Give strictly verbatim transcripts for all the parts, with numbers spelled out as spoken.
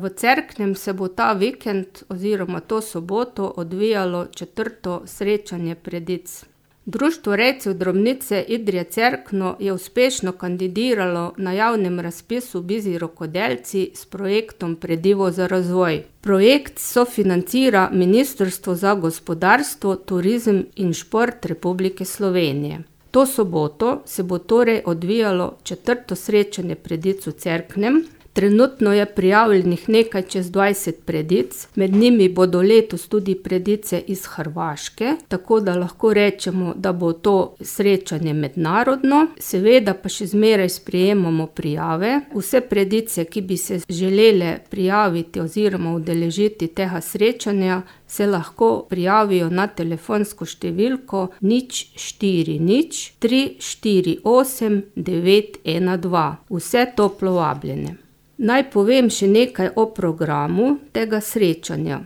v Cerknem se bo ta vikend oziroma to soboto odvijalo četrto srečanje predic. Društvo rejcev drobnice Idrija Cerkno je uspešno kandidiralo na javnem razpisu Bizji rokodelci s projektom Predivo za razvoj. Projekt sofinancira Ministrstvo za gospodarstvo, turizem in šport Republike Slovenije. To soboto se bo torej odvijalo četrto srečanje predic v Cerknem. Trenutno je prijavljenih nekaj čez dvajset predic, med njimi bodo letos tudi predice iz Hrvaške, tako da lahko rečemo, da bo to srečanje mednarodno. Seveda pa še zmeraj sprejemamo prijave. Vse predice, ki bi se želele prijaviti oziroma udeležiti tega srečanja, se lahko prijavijo na telefonsko številko nič štiri nič tri štiri osem devet ena dva. Vse toplo vabljene. Naj povem še nekaj o programu tega srečanja.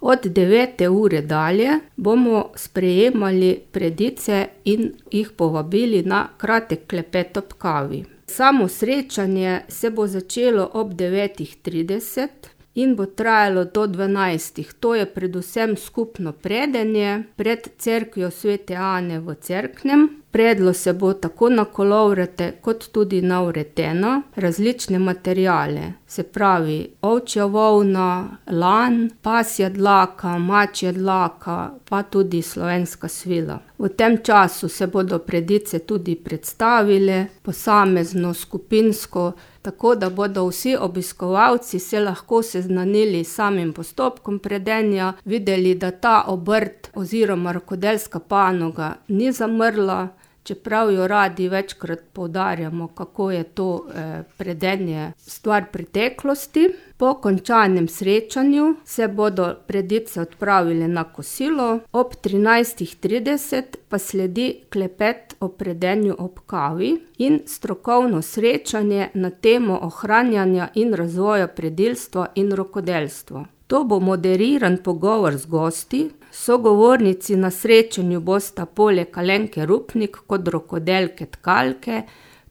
Od devete ure dalje bomo sprejemali predice in jih povabili na kratek klepet ob kavi. Samo srečanje se bo začelo ob devetih trideset in bo trajalo do dvanajstih. To je predvsem skupno predenje pred cerkvijo Svete Ane v Cerknem. Predlo se bo tako na kolovrate kot tudi na vreteno različne materiale, se pravi ovčja volna, lan, pasja dlaka, mačja dlaka, pa tudi slovenska svila. V tem času se bodo predice tudi predstavile, posamezno, skupinsko, tako da bodo vsi obiskovalci se lahko seznanili s samim postopkom predenja, videli, da ta obrt oziroma rokodelska panoga ni zamrla, čeprav jo radi večkrat poudarjamo, kako je to eh, predenje stvar preteklosti. Po končanem srečanju se bodo predice odpravile na kosilo, ob trinajstih trideset pa sledi klepet o predenju ob kavi in strokovno srečanje na temo ohranjanja in razvoja predilstva in rokodelstva. To bo moderiran pogovor z gosti. Sogovornici na srečanju bosta poleg Alenke Rupnik kot rokodelke tkalke,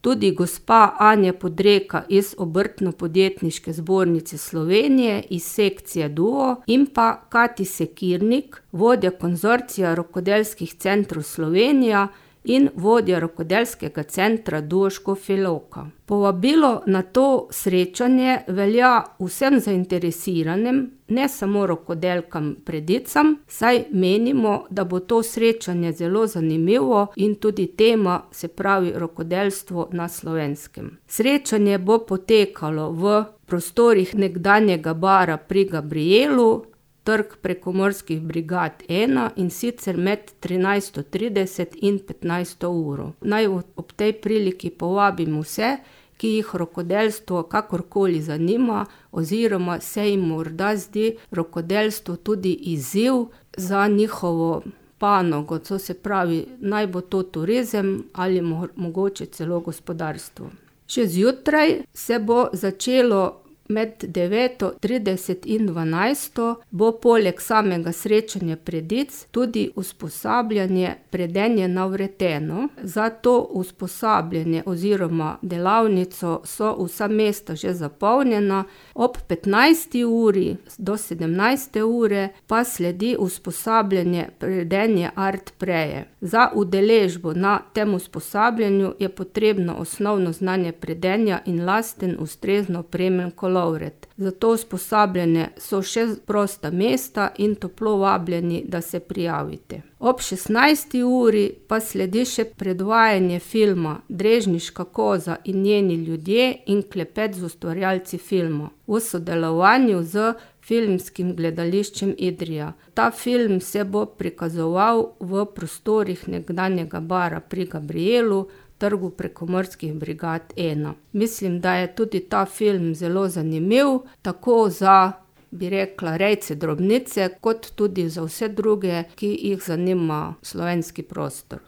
tudi gospa Anja Podreka iz Obrtno-podjetniške zbornice Slovenije iz sekcije Duo in pa Kati Sekirnik, vodja konzorcija rokodelskih centrov Slovenija in vodja rokodelskega centra Duo Škofja Loka. Povabilo na to srečanje velja vsem zainteresiranim, ne samo rokodelkam predicam, saj menimo, da bo to srečanje zelo zanimivo in tudi tema, se pravi rokodelstvo na Slovenskem. Srečanje bo potekalo v prostorih nekdanjega bara pri Gabrijelu, Trg prekomorskih brigad ena, in sicer med trinajsto trideset in petnajsto uro. Naj ob tej priliki povabim vse, ki jih rokodelstvo kakorkoli zanima oziroma se jim morda zdi rokodelstvo tudi izziv za njihovo panogo, to se pravi, naj bo to turizem ali mo- mogoče celo gospodarstvo. Še zjutraj se bo začelo med deveto trideset in dvanajsto bo poleg samega srečanja predic tudi usposabljanje predenje na vreteno. Za to usposabljanje oziroma delavnico so vsa mesta že zapolnjena. Ob petnajsti uri do sedemnajste ure pa sledi usposabljanje predenje art preje. Za udeležbo na tem usposabljanju je potrebno osnovno znanje predenja in lasten ustrezno opremljen kolovrat. Za to usposabljanje so še prosta mesta in toplo vabljeni, da se prijavite. Ob šestnajsti uri pa sledi še predvajanje filma Drežniška koza in njeni ljudje in klepet z ustvarjalci filma v sodelovanju z Filmskim gledališčem Idrija. Ta film se bo prikazoval v prostorih nekdanjega bara pri Gabrijelu, Trgu prekomorskih brigad ena. Mislim, da je tudi ta film zelo zanimiv, tako za, bi rekla, rejce drobnice, kot tudi za vse druge, ki jih zanima slovenski prostor.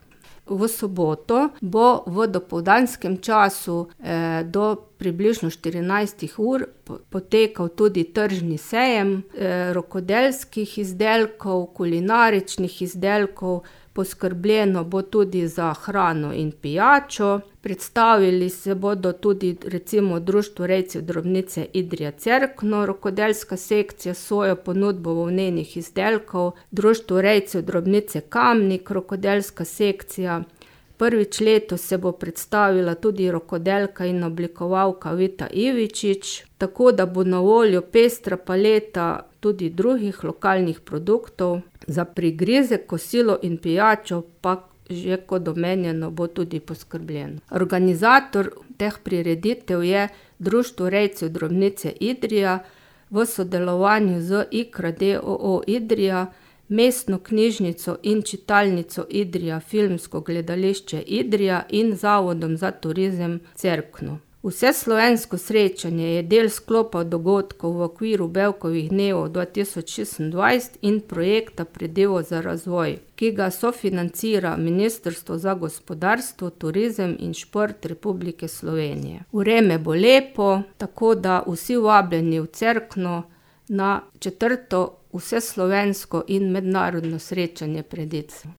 V soboto bo v dopoldanskem času eh, do približno štirinajstih ur potekal tudi tržni sejem eh, rokodelskih izdelkov, kulinaričnih izdelkov, poskrbljeno bo tudi za hrano in pijačo. Predstavili se bodo tudi recimo Društvo rejcev drobnice Idrija Cerkno, rokodelska sekcija s svojo ponudbo volnenih izdelkov, Društvo rejcev drobnice Kamnik, rokodelska sekcija. Prvič letos se bo predstavila tudi rokodelka in oblikovalka Vita Ivičič, tako da bo na voljo pestra paleta tudi drugih lokalnih produktov. Za prigrizek, kosilo in pijačo pa že kot omenjeno bo tudi poskrbljeno. Organizator teh prireditev je Društvo rejcev drobnice Idrija v sodelovanju z Ikra d. o. o. Idrija, Mestno knjižnico in čitalnico Idrija, Filmsko gledališče Idrija in Zavodom za turizem Cerkno. Vseslovensko srečanje je del sklopa dogodkov v okviru Bevkovih dnevov dva tisoč šestindvajset in projekta Pridevo za razvoj, ki ga sofinancira Ministrstvo za gospodarstvo, turizem in šport Republike Slovenije. Vreme bo lepo, tako da vsi vabljeni v Cerkno na četrto vseslovensko in mednarodno srečanje predic.